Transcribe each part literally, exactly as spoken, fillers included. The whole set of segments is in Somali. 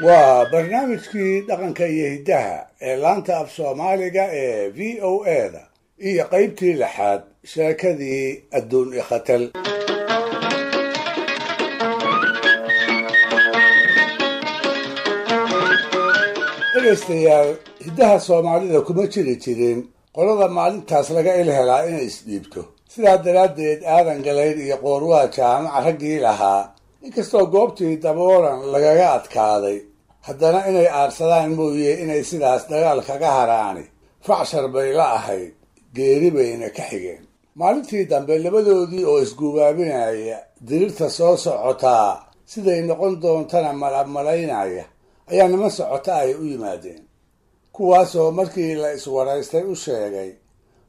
Waa barnaamijkii dhaqanka iyo hiddaha ee laanta af Soomaaliga ee V O A da iyo qaybtii lixaad, sheekadii adduun ikhatal. Dhegaystayaal, hiddaha Soomaalida kuma jiri jirin qolada maalintaas laga il helaa inay isdhiibto. Sidaa daraaddeed Aadan Galayd iyo Qoorwaa Jaamaca raggii lahaa, inkastoo goobtii Daboolan lagaga adkaaday, haddana inay aarsadaan mooye inay sidaas dagaal kaga haraani facshar bay la ahayd, geeri bayna ka xigeen. Maalintii dambe labadoodii oo isguubaabinaya dirirta soo socotaa siday noqon doontana malabmalaynaya ayaa niman socota ay u yimaadeen, kuwaasoo markii la iswaraystay u sheegay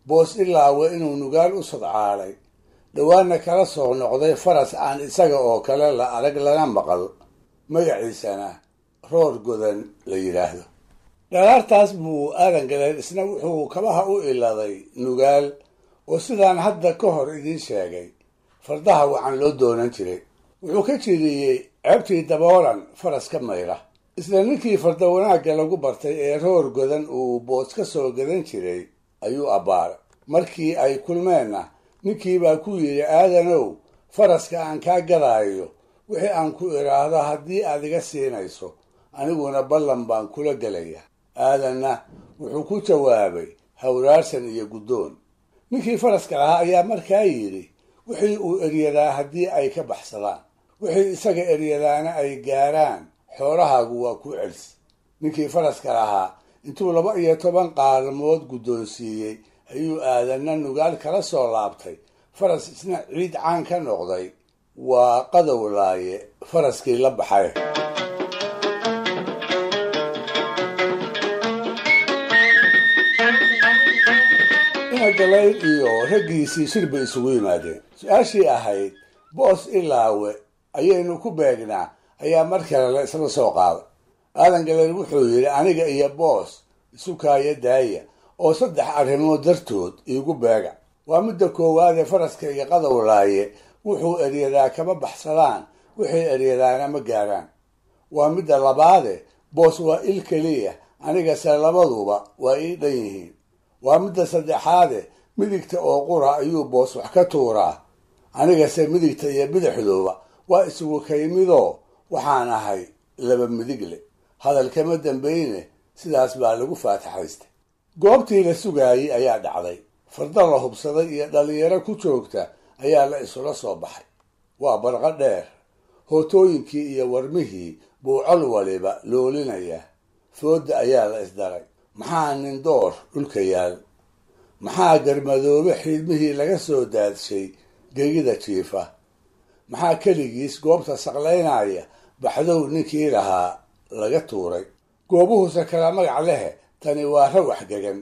Boos Ilaawe inuu Nugaal u sodcaalay, dhowaanna kala soo noqday faras aan isaga oo kale la arag lana maqal, magaciisana Roor Godan la yidhaahdo. Dhalaartaas buu Aadan Galeed isna wuxuu kabaha u iladay Nugaal, oo sidaan hadda ka hor idiin sheegay fardaha wacan loo doonan jiray. Wuxuu ka jiriyey ceebtii Daboolan faras ka mayra. Isla ninkii farda wanaagga lagu bartay ee Roor Godan uu Boos ka soo gadan jiray ayuu abbaaray. Markii ay kulmeenna ninkiibaa ku yidhi, Aadanow, faraska aan kaa gadaayo wixii aan ku idhaahdo haddii aad iga siinayso, aniguna ballan baan kula gelaya. Aadanna wuxuu ku jawaabay hawraarsan iyo guddoon. Ninkii faraska lahaa ayaa markaa yidhi, wixii uu eryadaa haddii ay ka baxsadaan, wixii isaga eryadaana ay gaaraan, xoolahaagu waa ku celsi. Ninkii faraska lahaa intuu laba iyo toban qaalmood guddoonsiiyey ayuu Aadanna Nugaal kala soo laabtay faras isna ciid caan ka noqday, waa Qadowlaaye faraskii la baxay. Ina Galayd iyo raggiisii shir bay isugu yimaadeen. Su-aashii ahayd Boos Ilaawe ayaynu ku beegnaa ayaa mar kale la isla soo qaaday. Aadan Galayd wuxuu yidhi, aniga iyo Boos isu kaaya daaya oo saddex arrimood dartood iigu beega. Waa midda koowaadee faraskayga Qadowlaaye wuxuu eryadaa kama baxsadaan, wixii eryadaana ma gaaraan. Waa midda labaade Boos waa il keliya, anigase labaduba waa ii dhan yihiin. Waa midda saddexaade midigta oo qura ayuu Boos wax ka tuuraa, anigase midigta iyo bidixduba waa isugu kaymidoo waxaan ahay laba midigle. Hadal kama dambayne sidaas baa lagu faataxaystay. Goobtii la sugaayey ayaa dhacday. Farda la hubsaday iyo dhalinyaro ku joogta ayaa la isula soo baxay. Waa barqo dheer, hootooyinkii iyo warmihii buu col waliba loolinayaa. Foodda ayaa la isdaray. Maxaa nin door dhulka yaal? Maxaa garmadoobe xiidmihii laga soo daadshay gegida jiifa? Maxaa keligiis goobta saqlaynaya baxdow ninkii lahaa laga tuuray? Goobuhuse kala magac lehe, tani waa rawax gegan.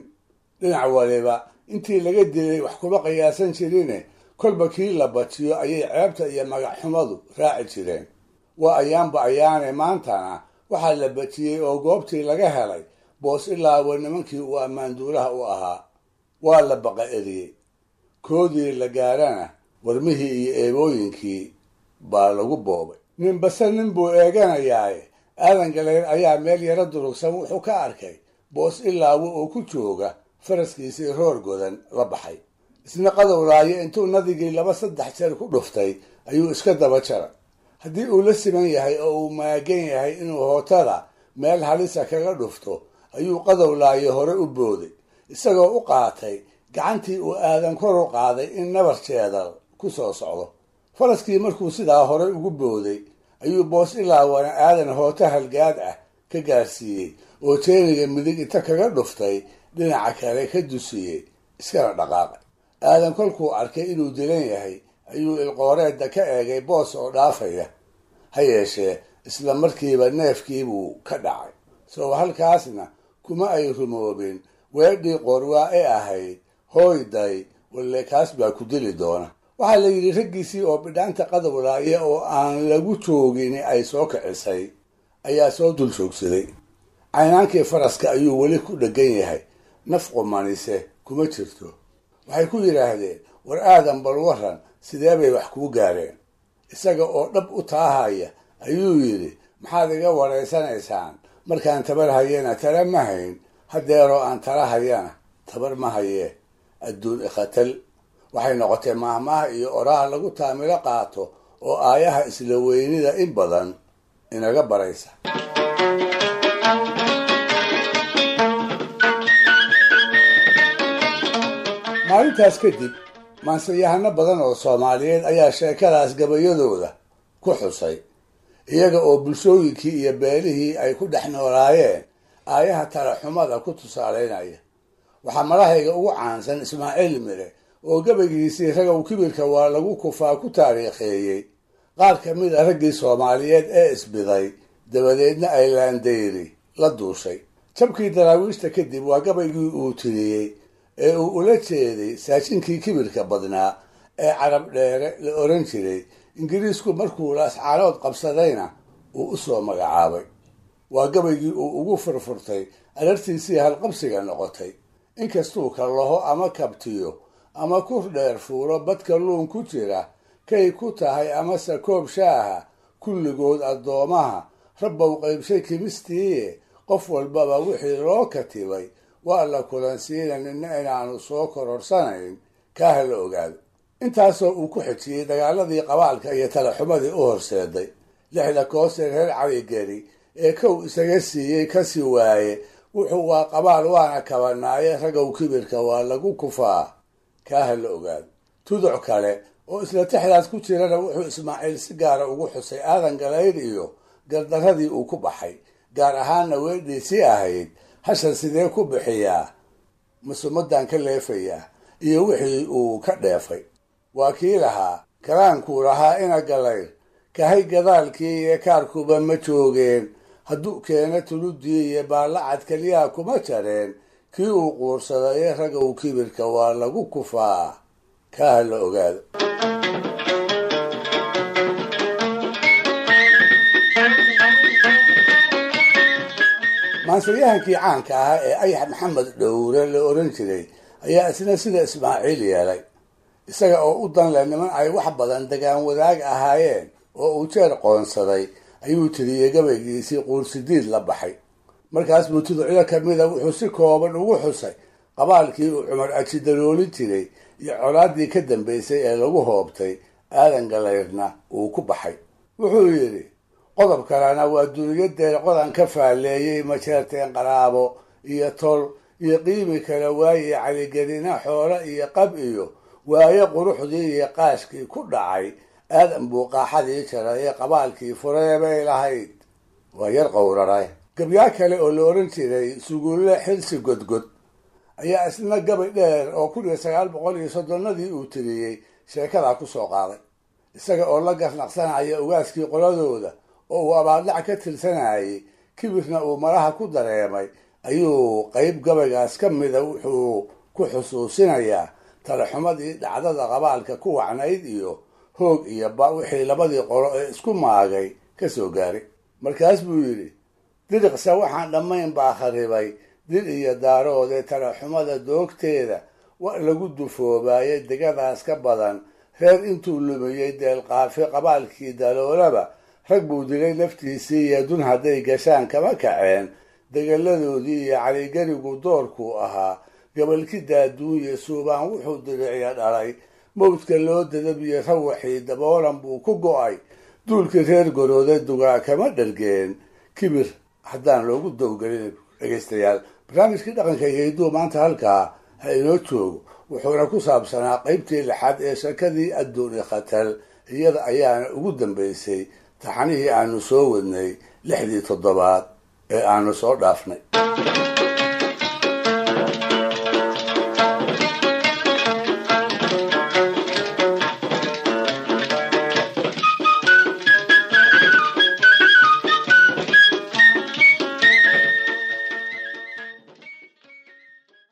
Dhinac waliba intii laga dilay wax kuma qiyaasan jirine, kolba kii la bajiyo ayay ceebta iyo magacxumadu raaci jireen. Waa ayaanba ayaane maantana waxaa la bajiyey oo goobtii laga helay Boos Ilaawe nimankii uu ammaanduulaha u ahaa. Waa la baqa eriyey. Koodii la gaarana warmihii iyo eebooyinkii baa lagu boobay. Ninbase nin buu eeganayaaye, Aadan Galeer ayaa meel yaro durugsan wuxuu ka arkay Boos Ilaawe oo ku jooga faraskiisii Roor Godan la baxay. Isna Qadowlaaye intuu nadigii laba saddex jeer ku dhuftay ayuu iska daba jaray. Haddii uu la siman yahay oo uu maagan yahay inuu hootada meel halisa kaga dhufto ayuu Qadowlaaye hore u booday, isagoo u qaatay gacantii uu Aadan kor u qaaday in nabar jeedal ku soo socdo. Faraskii markuu sidaa hore ugu booday ayuu Boos Ilaawana Aadan hooto halgaad ah ka gaarsiiyey oo jeeriga midig inta kaga dhuftay dhinaca kale ka dusiyey, iskana dhaqaaqay. Aadan kolkuu arkay inuu dilan yahay ayuu ilqooreedda ka eegay Boos oo dhaafaya. Ha yeeshee isla markiiba neefkiibuu ka dhacay. Soo halkaasna kuma ay rumoobin weedhii Qoorwaa ee ahayd, hooyday walle kaas baa ku dili doona. Waxaa la yidhi raggiisii oo bidhaanta Qadowlaaye oo aan lagu joogin ay soo kicisay ayaa soo dul joogsaday. Caynaankii faraska ayuu weli ku dheggan yahay, naf qumanise kuma jirto. Waxay ku yidhaahdeen, war Aadan bal waran, sidee bay wax kuu gaareen? Isaga oo dhab u taahaya ayuu yidhi, Maxaad iga waraysanaysaan? Markaan tabar hayena tala ma hayn, haddeeroo aan tala hayana tabar ma hayee. Adduun ikhatal waxay noqotay maahmaah iyo oraah lagu taamilo qaato oo aayaha isla weynida in badan inaga baraysa. Maalintaas kadib maansayahano badan oo Soomaaliyeed ayaa sheekadaas gabayadooda ku xusay, iyaga oo bulshooyinkii iyo beelihii ay ku dhex noolaayeen aayaha talaxumada ku tusaalaynaya. Waxaa malahayga ugu caansan Ismaaciil Mire oo gabaygiisii Ragow Kibirka Waa Lagu Kufaa ku taariikheeyey qaar ka mid a raggii Soomaaliyeed ee isbiday, dabadeedna ay laandayri la duushay. Jabkii Daraawiishta kadib waa gabaygii uu tiriyey ee uu ula jeeday saajinkii kibirka badnaa ee Carab Dheere la oran jiray, Ingiriisku markuu Laascaanood qabsadayna uu u soo magacaabay. Waa gabaygii uu ugu furfurtay alartiisii halqabsiga noqotay: inkastuu kallaho ama kabtiyo ama kur dheer fuulo badka luun ku jira, kay ku tahay amase koob shaaha, kulligood addoomaha Rabbow qaybshay kimistiiye, qof walbaba wixii loo katibay waa la kulansiina, nina inaanu soo kororsanayn kaaha la ogaado. Intaasoo uu ku xejiyey dagaaladii qabaalka iyo talaxumadii u horseeday lixda koose reer Caligeri ee kow isaga siiyey kasi waaye, wuxuu waa qabaal waana kabanaaye, Ragow Kibirka Waa Lagu Kufaa kaaha la ogaado. Tuduc kale oo isla tixdaas ku jirana wuxuu Ismaaciil si gaara ugu xusay Aadan Galayr iyo gardaradii uu ku baxay, gaar ahaanna weedhiisii ahayd hashan sidee ku bixiyaa, masumadan ka leefayaa, iyo wixii uu ka dheefay. Waa kii lahaa karaankuu lahaa ina Galayr kahay gadaalkii iyo kaarkuba ma joogeen, hadduu keena tuludii iyo baallacad keliyaha kuma jareen, kii uu quursaday. Ragow Kibirka Waa Lagu Kufaa kaaha la ogaado. Maansayahankii caanka ahaa ee Ayax Maxamed Dhowre la oran jiray ayaa isna sida Ismaaciil yeelay, isaga oo u danle niman ay wax badan degaan wadaag ahaayeen oo uu jeer qoonsaday ayuu tiriyey gabaygiisii Quursidiid la baxay. Markaas buu tuducyo ka mida wuxuu si kooban ugu xusay qabaalkii uu Cumar Aji daloolin jiray iyo colaaddii ka dambaysay ee lagu hoobtay, Aadan Galayrna uu ku baxay. Wuxuu yidhi: qodob kalena waa duniyadeer qodan ka faalleeyey, majeerteen qaraabo iyo tol iyo qiimi kale waaye, Caligelina xoolo iyo qab iyo waaye quruxdii iyo qaashkii ku dhacay, Aadan buu qaaxadii jaray ee qabaalkii furee bay lahayd, waa yar qowraray. Gabyaa kale oo la oran jiray Sugulle Xilsi Godgod ayaa isna gabay dheer oo kun iyo sagaal boqol iyo soddonnadii uu tiriyey sheekadaa ku soo qaaday, isaga oo la garnaqsanaya ugaaskii qoladooda oo uu abaaldhac ka tirsanayay, kibirna uu malaha ku dareemay, ayuu qayb gabaygaas ka mida wuxuu ku xusuusinayaa talaxumadii dhacdada qabaalka ku wacnayd iyo hoog iyo ba wixii labadii qolo ee isku maagay ka soo gaaray. Markaas buu yidhi: diriqsa waxaan dhammayn baa kharibay dil iyo daaroodee, talaxumada doogteeda wa lagu dufoobaayay degadaas ka badan, reer intuu lumiyey deelqaafi qabaalkii daloolaba, rag buu dilay laftiisii iyo dun hadday gashaan kama kaceen, degaladoodii iyo Caligerigu doorkuu ahaa, gabalki daaduunye suubaan wuxuu diriciya dhalay, mawdka loo dadabiye rawaxii daboolan buu ku go'ay, duulkii reer gorooda dugaa kama dhargeen kibir haddaan loogu dowgelin. Dhegaystayaal, barnaamijkii dhaqanka iyo hidduu maanta halkaa ha inoo joogo, wuxuuna ku saabsanaa qaybtii lixaad ee sheekadii Adduuni Khatal. Iyada ayaana ugu dambaysay taxanihii aanu soo wadnay lixdii toddobaad ee aanu soo dhaafnay.